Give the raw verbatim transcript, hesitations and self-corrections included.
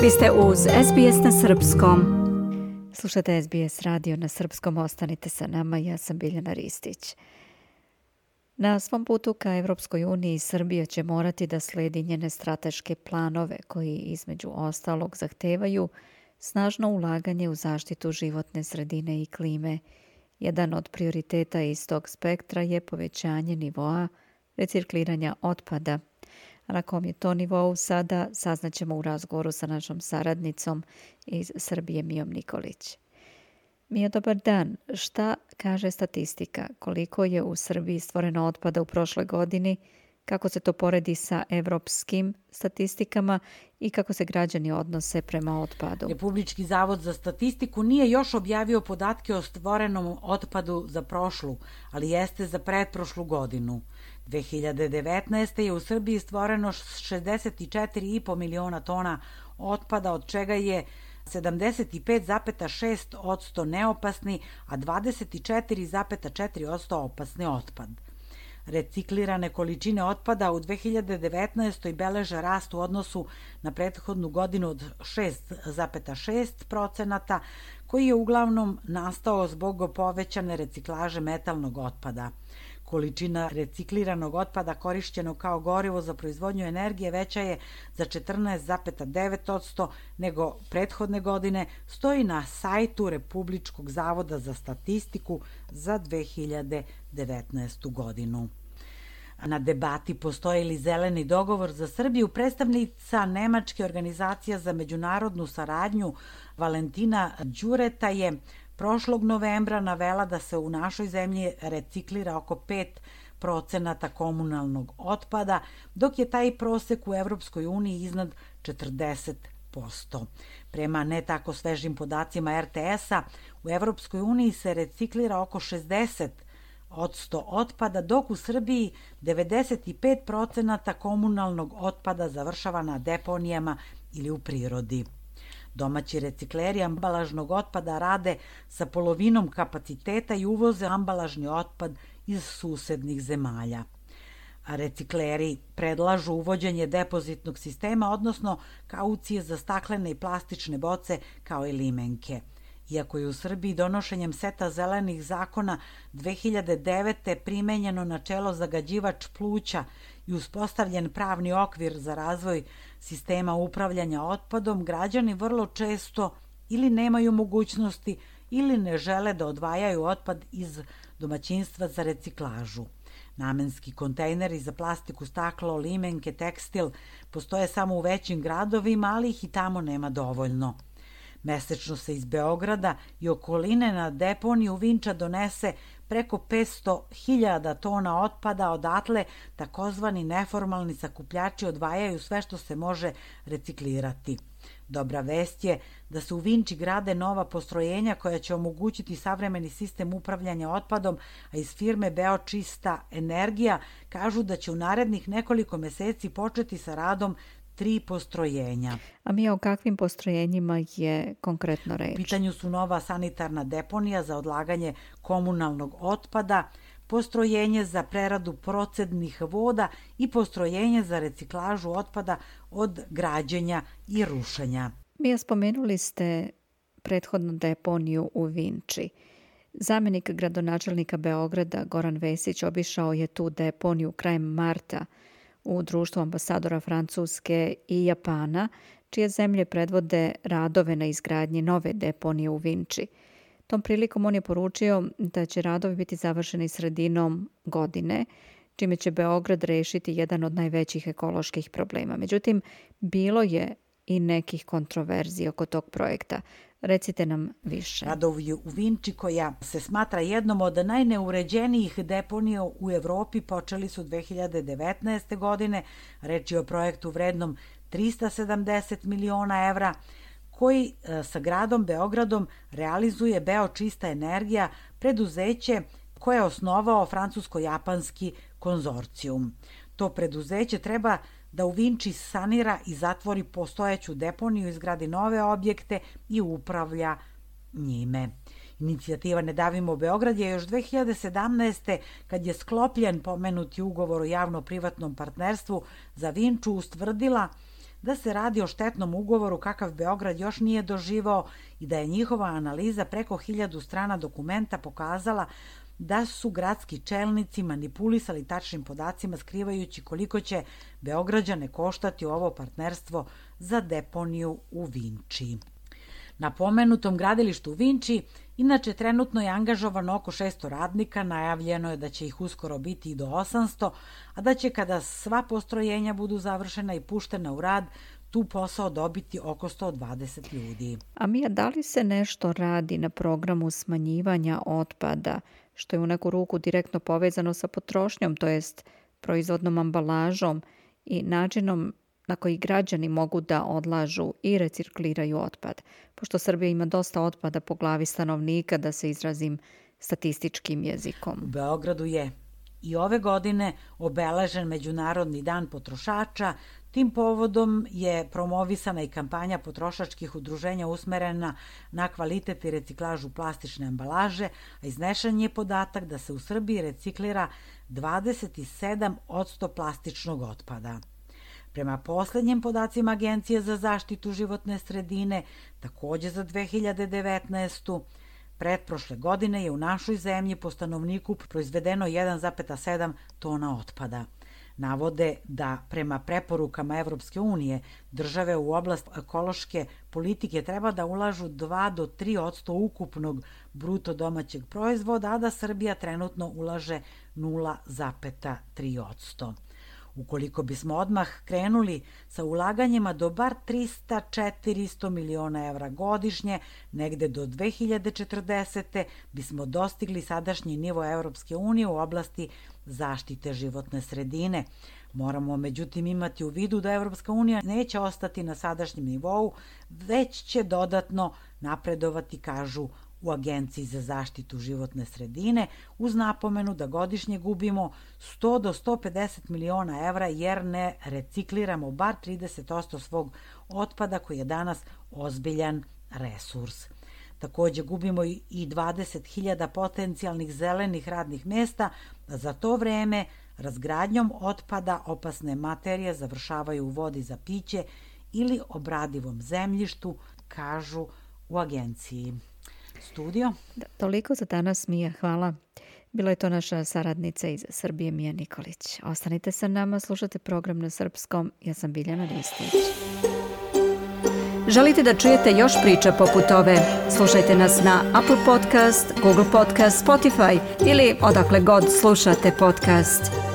Vi ste uz S B S na srpskom. Slušate S B S radio na srpskom, ostanite sa nama, ja sam Biljana Ristić. Na svom putu ka Evropskoj uniji Srbija će morati da sledi njene strateške planove koji između ostalog zahtevaju snažno ulaganje u zaštitu životne sredine i klime. Jedan od prioriteta iz tog spektra je povećanje nivoa recikliranja otpada. A na kom je to nivou sada, saznaćemo u razgovoru sa našom saradnicom iz Srbije, Mijom Nikolić. Mija, dobar dan. Šta kaže statistika? Koliko je u Srbiji stvoreno otpada u prošloj godini? Kako se to poredi sa evropskim statistikama i kako se građani odnose prema otpadu? Republički zavod za statistiku nije još objavio podatke o stvorenom otpadu za prošlu, ali jeste za pretprošlu godinu. dve hiljade devetnaeste. je u Srbiji stvoreno šezdeset četiri i po miliona tona otpada, od čega je sedamdeset pet zarez šest posto neopasni, a dvadeset četiri zarez četiri posto opasni otpad. Reciklirane količine otpada u dve hiljade devetnaestoj. beleže rast u odnosu na prethodnu godinu od šest zarez šest procenata, koji je uglavnom nastao zbog povećane reciklaže metalnog otpada. Količina recikliranog otpada korišćenog kao gorivo za proizvodnju energije veća je za četrnaest zarez devet posto nego prethodne godine, stoji na sajtu Republičkog zavoda za statistiku za dve hiljade devetnaestu. godinu. Na debati postoji li zeleni dogovor za Srbiju, predstavnica Nemačke organizacije za međunarodnu saradnju Valentina Đureta je prošlog novembra navela da se u našoj zemlji reciklira oko pet procenata komunalnog otpada, dok je taj prosek u Evropskoj uniji iznad četrdeset posto. Prema ne tako svežim podacima R T S-a, u Evropskoj uniji se reciklira oko šezdeset posto otpada, dok u Srbiji devedeset pet procenata komunalnog otpada završava na deponijama ili u prirodi. Domaći recikleri ambalažnog otpada rade sa polovinom kapaciteta i uvoze ambalažni otpad iz susednih zemalja. A recikleri predlažu uvođenje depozitnog sistema, odnosno kaucije za staklene i plastične boce kao i limenke. Iako je u Srbiji donošenjem seta zelenih zakona dve hiljade devete. primenjeno načelo zagađivač pluća i uspostavljen pravni okvir za razvoj sistema upravljanja otpadom, građani vrlo često ili nemaju mogućnosti ili ne žele da odvajaju otpad iz domaćinstva za reciklažu. Namenski kontejneri za plastiku, staklo, limenke, tekstil postoje samo u većim gradovima, ali ih i tamo nema dovoljno. Mesečno se iz Beograda i okoline na deponiju Vinča donese preko petsto hiljada tona otpada, odatle takozvani neformalni sakupljači odvajaju sve što se može reciklirati. Dobra vest je da se u Vinči grade nova postrojenja koja će omogućiti savremeni sistem upravljanja otpadom, a iz firme Beočista energija kažu da će u narednih nekoliko meseci početi sa radom tri postrojenja. A mi o kakvim postrojenjima je konkretno reč? U pitanju su nova sanitarna deponija za odlaganje komunalnog otpada, postrojenje za preradu procednih voda i postrojenje za reciklažu otpada od građenja i rušenja. Mija, spomenuli ste prethodnu deponiju u Vinči. Zamenik gradonačelnika Beograda Goran Vesić obišao je tu deponiju krajem marta u društvu ambasadora Francuske i Japana, čije zemlje predvode radove na izgradnji nove deponije u Vinči. Tom prilikom on je poručio da će radovi biti završeni sredinom godine, čime će Beograd rešiti jedan od najvećih ekoloških problema. Međutim, bilo je i nekih kontroverzija oko tog projekta. Recite nam više. Radovi u Vinči, koja se smatra jednom od najneuređenijih deponija u Evropi, počeli su dve hiljade devetnaeste. godine. Reč je o projektu vrednom trista sedamdeset miliona evra, koji sa gradom Beogradom realizuje Beočista energija, preduzeće koje je osnovao francusko-japanski konzorcijum. To preduzeće treba da u Vinči sanira i zatvori postojeću deponiju, izgradi nove objekte i upravlja njime. Inicijativa Ne davimo Beograd je još dve hiljade sedamnaeste. kad je sklopljen pomenuti ugovor o javno-privatnom partnerstvu za Vinču, ustvrdila da se radi o štetnom ugovoru kakav Beograd još nije doživao i da je njihova analiza preko hiljadu strana dokumenta pokazala da su gradski čelnici manipulisali tačnim podacima skrivajući koliko će Beograđane koštati ovo partnerstvo za deponiju u Vinči. Na pomenutom gradilištu u Vinči inače trenutno je angažovano oko šesto radnika, najavljeno je da će ih uskoro biti i do osamsto, a da će kada sva postrojenja budu završena i puštena u rad, tu posao dobiti oko sto dvadeset ljudi. A Mija, da li se nešto radi na programu smanjivanja otpada, što je u neku ruku direktno povezano sa potrošnjom, to jest proizvodnom ambalažom i načinom na koji građani mogu da odlažu i recikliraju otpad, pošto Srbija ima dosta otpada po glavi stanovnika, da se izrazim statističkim jezikom. U Beogradu je i ove godine obeležen Međunarodni dan potrošača. Tim povodom je promovisana i kampanja potrošačkih udruženja usmerena na kvalitet i reciklažu plastične ambalaže, a iznešen je podatak da se u Srbiji reciklira dvadeset sedam posto plastičnog otpada. Prema poslednjim podacima Agencije za zaštitu životne sredine, takođe za dve hiljade devetnaestu. pretprošle godine je u našoj zemlji po stanovniku proizvedeno jedan zarez sedam tona otpada. Navode da prema preporukama Evropske unije države u oblast ekološke politike treba da ulažu dva do tri posto ukupnog bruto domaćeg proizvoda, a da Srbija trenutno ulaže nula zarez tri posto. Ukoliko bismo odmah krenuli sa ulaganjima do bar trista do četiristo miliona evra godišnje, negde do dve hiljade četrdesete. bismo dostigli sadašnji nivo Evropske unije u oblasti zaštite životne sredine. Moramo međutim imati u vidu da Evropska unija neće ostati na sadašnjem nivou, već će dodatno napredovati, kažu u Agenciji za zaštitu životne sredine, uz napomenu da godišnje gubimo sto do sto pedeset miliona evra jer ne recikliramo bar trideset posto svog otpada koji je danas ozbiljan resurs. Takođe gubimo i dvadeset hiljada potencijalnih zelenih radnih mesta, a za to vreme razgradnjom otpada opasne materije završavaju u vodi za piće ili obradivom zemljištu, kažu u agenciji. Studio. Da, toliko za danas, Mija, hvala. Bila je to naša saradnica iz Srbije, Mija Nikolić. Ostanite sa nama, slušate program na srpskom. Ja sam Biljana Ristić. Želite da čujete još priča poput ove? Slušajte nas na Apple Podcast, Google Podcast, Spotify ili odakle god slušate podcast.